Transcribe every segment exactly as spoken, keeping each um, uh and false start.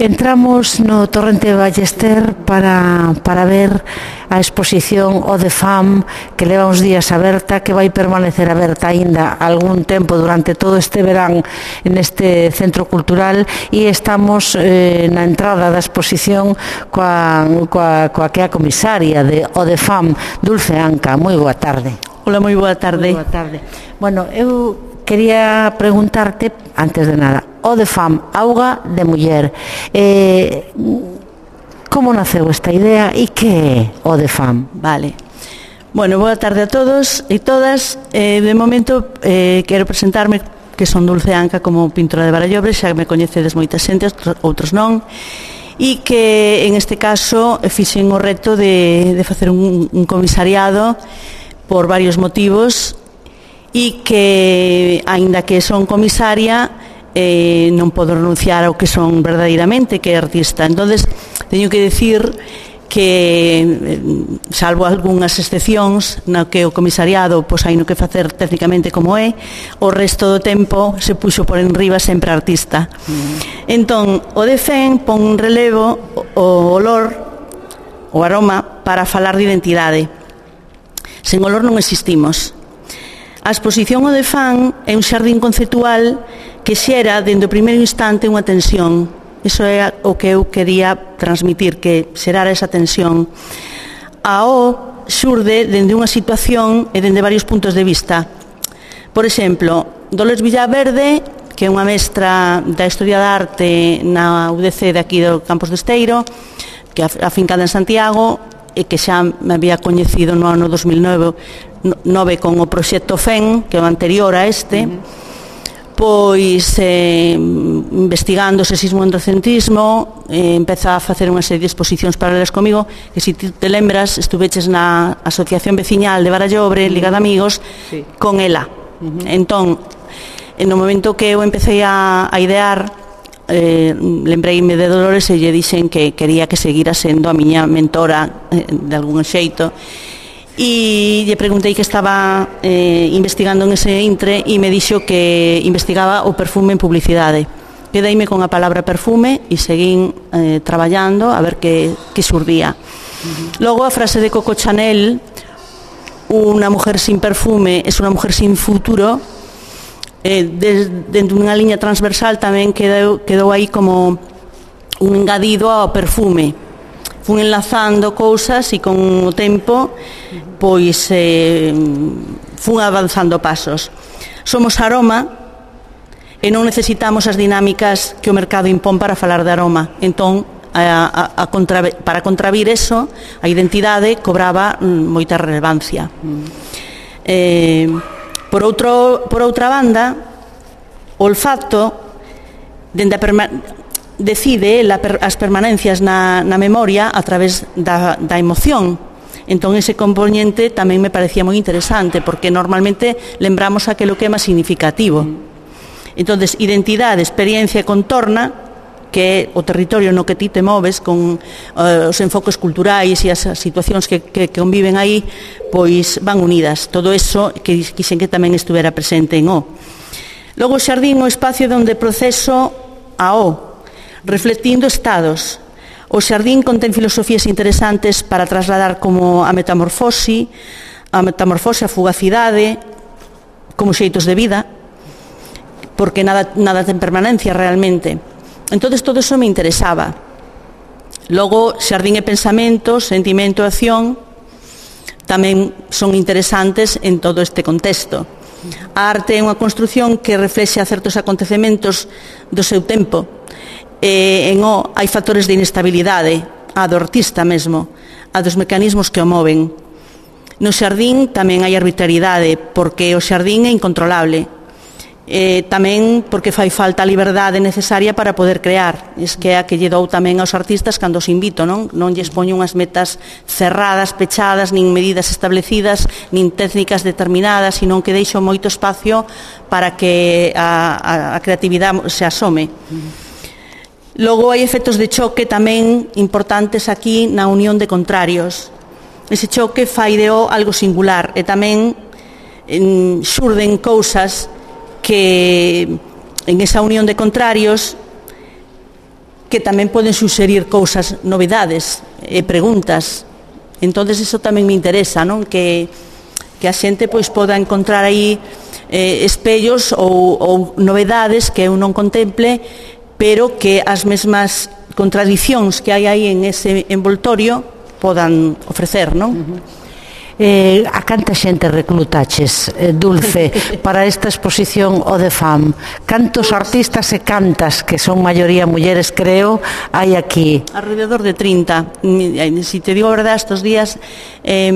Entramos no Torrente Ballester para, para ver a exposición O de Fam, que leva uns días aberta, que vai permanecer aberta aínda algún tempo durante todo este verán neste centro cultural, e estamos eh, na entrada da exposición coa, coa, coa que é a comisaria de O de Fam, Dulce Anca. Moi boa tarde. Hola, moi boa tarde. Moi boa tarde. Bueno, eu quería preguntarte, antes de nada, O de Fam, auga de muller. Eh, como naceu esta idea e que é O de Fam? Vale. Bueno, boa tarde a todos e todas. Eh, de momento, eh, quero presentarme, que son Dulce Anca, como pintora de Barallobre, xa me coñecedes moita xente, outros non, e que, en este caso, fixen o reto de, de facer un, un comisariado por varios motivos, e que, aínda que son comisaria, Eh, non podo renunciar ao que son verdadeiramente, que é artista. Entonces teño que decir que, salvo algunhas excepcións no que o comisariado pois hai no que facer técnicamente como é, o resto do tempo se puxo por enriba sempre artista. Mm. Entón, o de Fem pon un relevo o olor, o aroma, para falar de identidade. Sen olor non existimos. A exposición O de Fam é un xardín conceptual que xera, dende o primeiro instante, unha tensión. Iso é o que eu quería transmitir, que xerara esa tensión. A O xurde dende unha situación e dende varios puntos de vista. Por exemplo, Dolores Villaverde, que é unha mestra da Historia da Arte na U D C de aquí do Campos de Esteiro, que é afincada en Santiago, e que xa me había coñecido no ano dos mil nove con o proxecto Fem, que é o anterior a este, uh-huh. Pois eh, investigando o sexismo e androcentrismo, eh, empeza a facer unha serie de exposicións paralelas comigo, que se ti te lembras, estuveches na Asociación Veciñal de Barallobre, Liga de Amigos, sí, con ela. Uh-huh. Entón, no momento que eu empecé a, a idear, eh, lembreime de Dolores e lle dixen que quería que seguira sendo a miña mentora eh, de algún xeito, e lle preguntei que estaba eh, investigando en ese intre, e me dixo que investigaba o perfume en publicidade. Quedeime con a palabra perfume e seguín eh, traballando a ver que, que xurdía. Uh-huh. Logo a frase de Coco Chanel, unha mujer sin perfume é unha mujer sin futuro, eh, dentro dunha liña transversal tamén quedou, quedou aí como un engadido ao perfume. Fun enlazando cousas e con o tempo pois eh, fun avanzando pasos. Somos aroma e non necesitamos as dinámicas que o mercado impón para falar de aroma. Entón, a, a, a contra, para contravir eso, a identidade cobraba mm, moita relevancia. Mm. Eh, por, outro, por outra banda, o olfato, dende a permanencia, decide la, as permanencias na, na memoria a través da, da emoción. Entón ese componente tamén me parecía moi interesante, porque normalmente lembramos aquilo que é máis significativo. Entonces, identidade, experiencia e contorna, que é o territorio no que ti te moves con uh, os enfoques culturais e as situacións que, que, que conviven aí, pois van unidas. Todo eso que quixen que tamén estuvera presente en O. Logo o xardín, o espacio onde proceso a O, reflectindo estados. O xardín contén filosofías interesantes para trasladar como a metamorfose, a metamorfose, a fugacidade, como xeitos de vida, porque nada, nada ten permanencia realmente. Entón, todo iso me interesaba. Logo, xardín e pensamento, sentimento e acción, tamén son interesantes en todo este contexto. A arte é unha construción que reflexa certos acontecementos do seu tempo. Eh, en O hai factores de inestabilidade, a do artista mesmo, a dos mecanismos que o moven. No xardín tamén hai arbitrariedade, porque o xardín é incontrolable. Eh, tamén porque fai falta a liberdade necesaria para poder crear. Es que é a que lle dou tamén aos artistas cando os invito, non? Non lles poño unhas metas cerradas, pechadas, nin medidas establecidas, nin técnicas determinadas, sino que deixo moito espacio para que a, a, a creatividade se asome. Logo hai efectos de choque tamén importantes aquí na unión de contrarios. Ese choque fai de O algo singular, e tamén en, xurden cousas que en esa unión de contrarios que tamén poden suxerir cousas, novidades e preguntas. Entonces iso tamén me interesa, non? Que, que a xente pois poda encontrar aí eh, espellos ou, ou novedades que eu non contemple, pero que as mesmas contradicións que hai aí en ese envoltorio podan ofrecer, non? Uh-huh. Eh, a canta xente reclutaches, eh, Dulce, para esta exposición o de FAM? Cantos artistas e cantas, que son maioría mulleres, creo, hai aquí? Alrededor de trinta. Si te digo a verdade, estos días eh,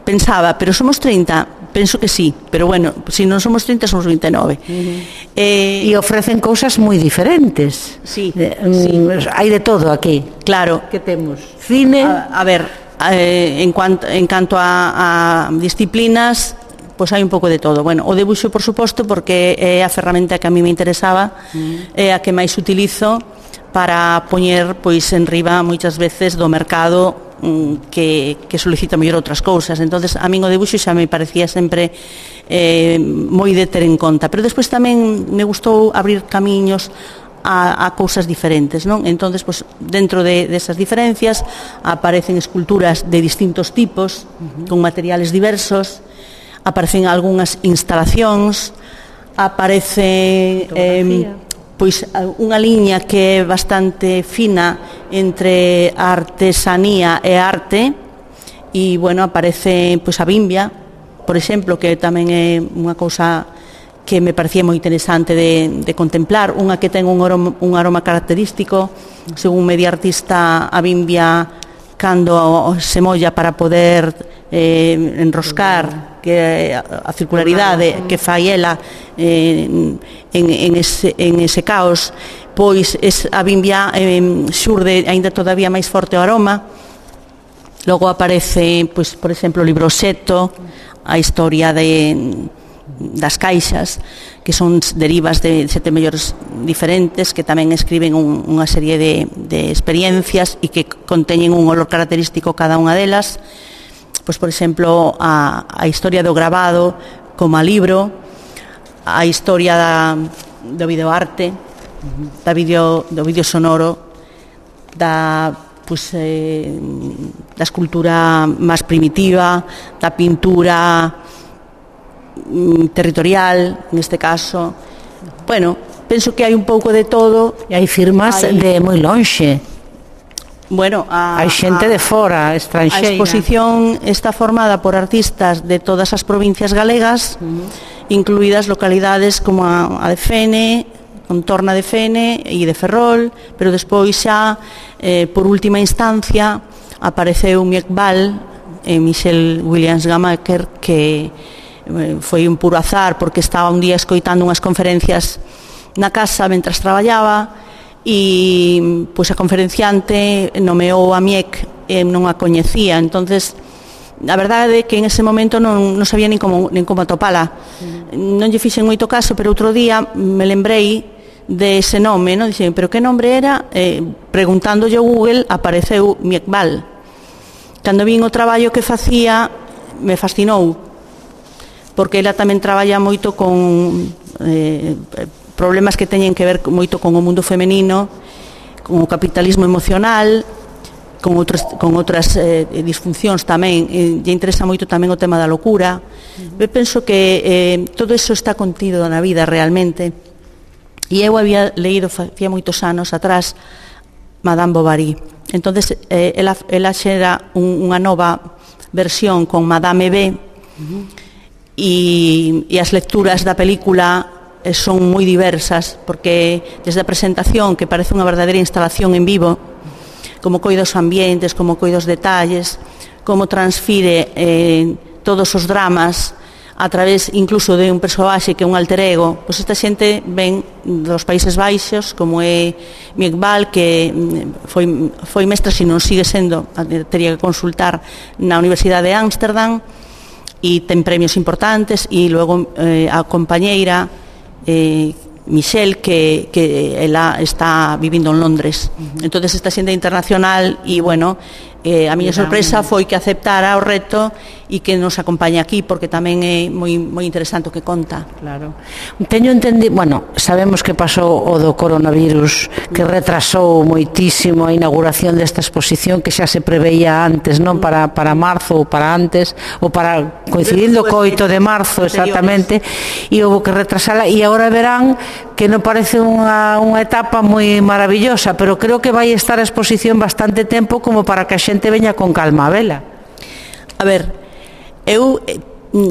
pensaba, pero somos trinta? Penso que sí, pero bueno, si non somos trinta, somos vinte e nove. Uh-huh. eh, e ofrecen cousas moi diferentes. Sí, eh, sí. Hai de todo aquí. Claro. Que temos? Cine? A, a ver... Eh, en, cuanto, en canto a, a disciplinas, pois hai un pouco de todo. Bueno, o debuxo, por suposto, porque é a ferramenta que a mí me interesaba, mm. é a que máis utilizo para poñer pois en riba moitas veces do mercado mm, que, que solicita mellor outras cousas. Entonces a min o debuxo xa me parecía sempre eh, moi de ter en conta, pero despois tamén me gustou abrir camiños A, a cousas diferentes, non? Entonces, pues, dentro de, de esas diferencias aparecen esculturas de distintos tipos, uh-huh. con materiales diversos, aparecen algunhas instalacións, aparece eh, pois unha liña que é bastante fina entre artesanía e arte, e, bueno, aparece pois a bimbia, por exemplo, que tamén é unha cousa que me parecía moi interesante de, de contemplar, unha que ten un aroma, un aroma característico, según me di artista, a bimbia cando se molla para poder eh, enroscar, que a circularidade que fai ela eh, en, en, ese, en ese caos, pois es, a bimbia eh, xurde aínda todavía máis forte o aroma. Logo aparece, pois, por exemplo, o libro Seto, a historia de das caixas, que son derivas de sete mellores diferentes, que tamén escriben un, unha serie de, de experiencias e que conteñen un olor característico cada unha delas. Pois, por exemplo, a, a historia do grabado como a libro, a historia da, do videoarte, da video, do video sonoro, da pois, eh, da escultura máis primitiva, da pintura territorial, neste caso. Bueno, penso que hai un pouco de todo. E hai firmas hai... de moi lonxe. Bueno, a, hai xente a, de fora, estranxeira. A exposición está formada por artistas de todas as provincias galegas, uh-huh. incluídas localidades como a, a de Fene, contorna de Fene e de Ferrol, pero despois xa, eh, por última instancia, apareceu Miekbal e Michel Williams Gamaker, que foi un puro azar porque estaba un día escoitando unhas conferencias na casa mentras traballaba e pois a conferenciante nomeou a Miek e non a coñecía. Entonces a verdade é que en ese momento non, non sabía nin como, nin como atopala. Non lle fixen moito caso, pero outro día me lembrei de ese nome, non? Dixen, pero que nombre era? Eh, preguntándolle ao Google apareceu Miekbal. Cando vin o traballo que facía me fascinou, porque ela tamén traballa moito con eh, problemas que teñen que ver moito con o mundo femenino, con o capitalismo emocional, con outras, con outras eh, disfuncións tamén. E lle interesa moito tamén o tema da locura. Uh-huh. Eu penso que eh, todo eso está contido na vida realmente. E eu había leído facía moitos anos atrás Madame Bovary. Entonces eh, ela, ela xera un, unha nova versión con Madame B. Uh-huh. E, e as lecturas da película son moi diversas, porque desde a presentación, que parece unha verdadeira instalación en vivo, como coida os ambientes, como coida os detalles, como transfire eh, todos os dramas a través incluso de un persoaxe que é un alter ego. Pois esta xente ven dos Países Baixos, como é Miekbal, que foi, foi mestra, se non sigue sendo, teria que consultar, na Universidade de Ámsterdam, e ten premios importantes, e logo eh, a compañeira eh, Michelle, que, que ela está vivindo en Londres. Uh-huh. Entonces esta xente internacional, e bueno, eh, a miña sorpresa foi que aceptara o reto e que nos acompaña aquí, porque tamén é moi, moi interesante o que conta. Claro. Teño entendido, bueno, sabemos que pasou o do coronavirus, que retrasou moitísimo a inauguración desta exposición que xa se preveía antes, non? Para, para marzo ou para antes, ou para coincidindo co oito de marzo, exactamente, e houve que retrasala, e agora verán que non parece unha, unha etapa moi maravillosa, pero creo que vai estar a exposición bastante tempo como para que a xente veña con calma a vela. A ver, eu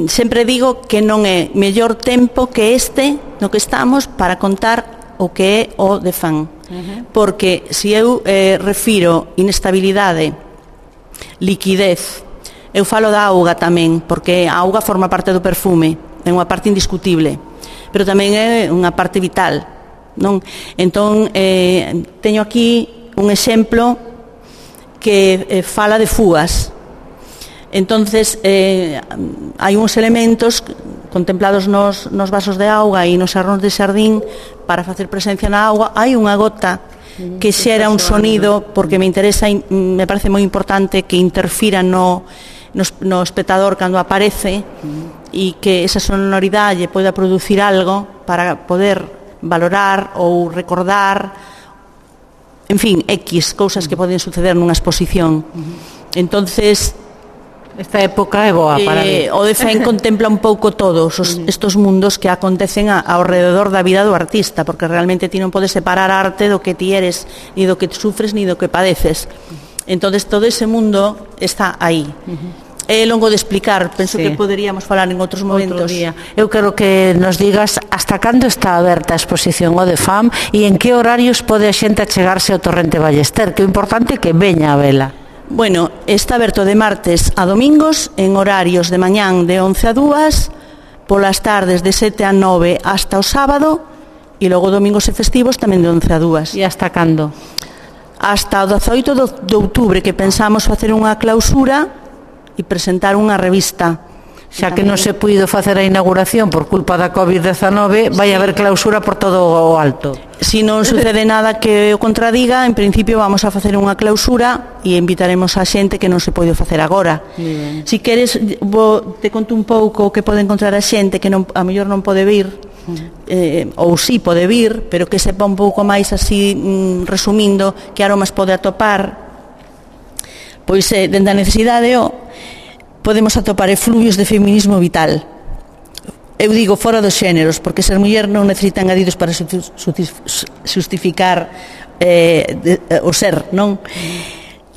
sempre digo que non é mellor tempo que este no que estamos para contar o que é o de fan. Uh-huh. Porque se eu eh, refiro inestabilidade, liquidez, eu falo da auga tamén, porque a auga forma parte do perfume, é unha parte indiscutible, pero tamén é unha parte vital, non? Entón, eh, teño aquí un exemplo que eh, fala de fugas. Entonces, eh, hai uns elementos contemplados nos, nos vasos de auga e nos xarróns de xardín para facer presencia na auga. Hai unha gota que xera un sonido, porque me interesa, me parece moi importante que interfira no, no, no espectador cando aparece e que esa sonoridade poida producir algo para poder valorar ou recordar, en fin, X cousas que poden suceder nunha exposición. Entonces, esta época é boa para eh, mí. O de Fen contempla un pouco todos os, estos mundos que acontecen a, ao rededor da vida do artista, porque realmente ti non podes separar a arte do que ti eres, ni do que sufres, ni do que padeces. Entonces todo ese mundo está aí. Uh-huh. É longo de explicar, penso sí. que poderíamos falar en outros momentos. Outro Eu quero que nos digas hasta cando está aberta a exposición o de Fam e en que horarios pode a xente achegarse ao Torrente Ballester, que é importante que veña a vela. Bueno, está aberto de martes a domingos en horarios de mañán de once a dúas, polas tardes de sete a nove hasta o sábado e logo domingos e festivos tamén de once a dúas. E hasta cando? Hasta o dezaoito de outubro, que pensamos facer unha clausura e presentar unha revista. Xa que non se puido facer a inauguración por culpa da covid dezanove, vai haber clausura por todo o alto. Si non sucede nada que o contradiga, en principio vamos a facer unha clausura e invitaremos a xente que non se pode facer agora. Si queres, vou, te conto un pouco o que pode encontrar a xente que non, a mellor non pode vir, eh, ou si pode vir, pero que sepa un pouco máis así, mm, resumindo, que aromas pode atopar. Pois, eh, dende a necesidade, o podemos atopar efluvios de feminismo vital. Eu digo fora dos xéneros, porque ser muller non necesita engadidos para justificar eh, de, eh, o ser, non?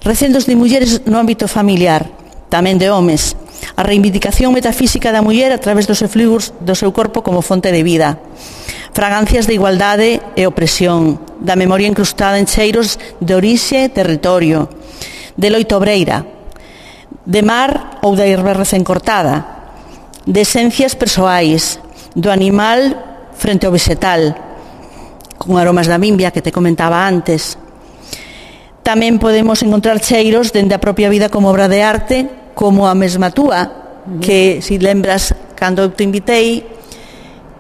Recendos de mulleres no ámbito familiar, tamén de homes. A reivindicación metafísica da muller a través dos efluvios do seu corpo como fonte de vida. Fragancias de igualdade e opresión, da memoria incrustada en cheiros de orixe e territorio, de loito obreira, de mar ou da herba recén cortada, de esencias persoais, do animal frente ao vegetal, con aromas da bimbia que te comentaba antes. Tamén podemos encontrar cheiros dende a propia vida como obra de arte, como a mesma túa, que, se lembras, cando eu te invitei,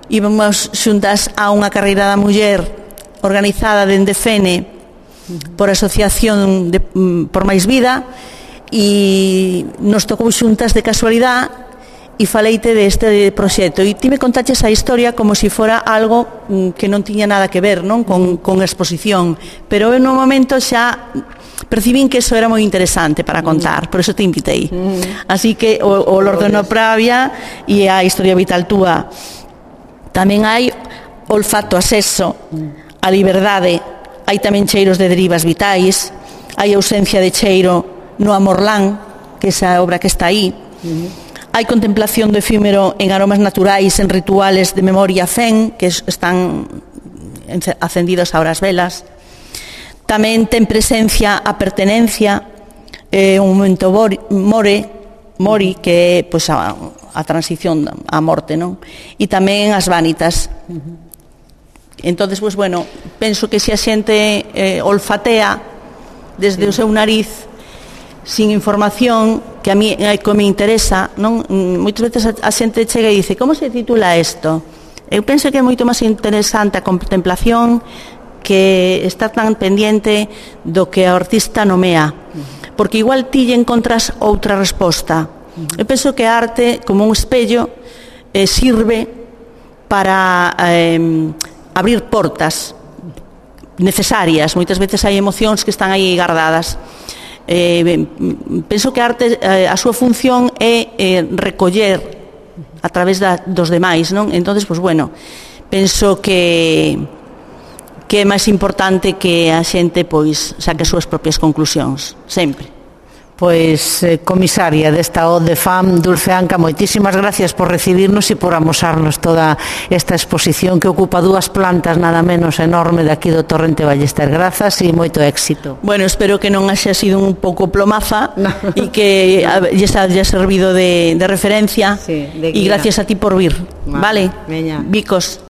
íbamos xuntas a unha carreira da muller organizada dende Fene por Asociación de, por Máis Vida, e nos tocou xuntas de casualidade e faleite deste proxecto e ti me contaches a historia como se si fora algo que non tiña nada que ver, non, con, con a exposición, pero en un momento xa percibín que eso era moi interesante para contar, por eso te invitei. Así que o, o Lordeno Pravia e a historia vital túa. Tamén hai olfato a sexo, a liberdade, hai tamén cheiros de derivas vitais, hai ausencia de cheiro no Amorlán, que é esa obra que está aí. Uh-huh. Hai contemplación do efímero en aromas naturais, en rituales de memoria fen, que están acendidos ahora as velas. Tamén ten presencia a pertenencia, eh, un momento more, mori, que é pois, a, a transición á morte, non? E tamén as vanitas. Uh-huh. Entonces, pois, bueno, penso que se a xente eh, olfatea desde sí. o seu nariz, sin información, que a mí que me interesa, non? Moitas veces a xente chega e dice, como se titula isto? Eu penso que é moito máis interesante a contemplación que estar tan pendiente do que a artista nomea, porque igual ti lle encontras outra resposta. Eu penso que a arte, como un espello, eh, sirve para eh, abrir portas necesarias. Moitas veces hai emocións que están aí guardadas. Eh, penso que a arte, eh, a súa función é eh, recoller a través da, dos demais, non? Entonces, pois, bueno, penso que que é máis importante que a xente, pois, saque as súas propias conclusións, sempre. Pois, eh, comisaria desta O D F A M, Dulce Anca, moitísimas gracias por recibirnos e por amosarnos toda esta exposición que ocupa dúas plantas nada menos enorme de aquí do Torrente Ballester. Grazas e moito éxito. Bueno, espero que non haxa sido un pouco plomaza no. e que lles haya servido de, de referencia, sí, de e gracias a ti por vir, vale? vale? Veña. Bicos.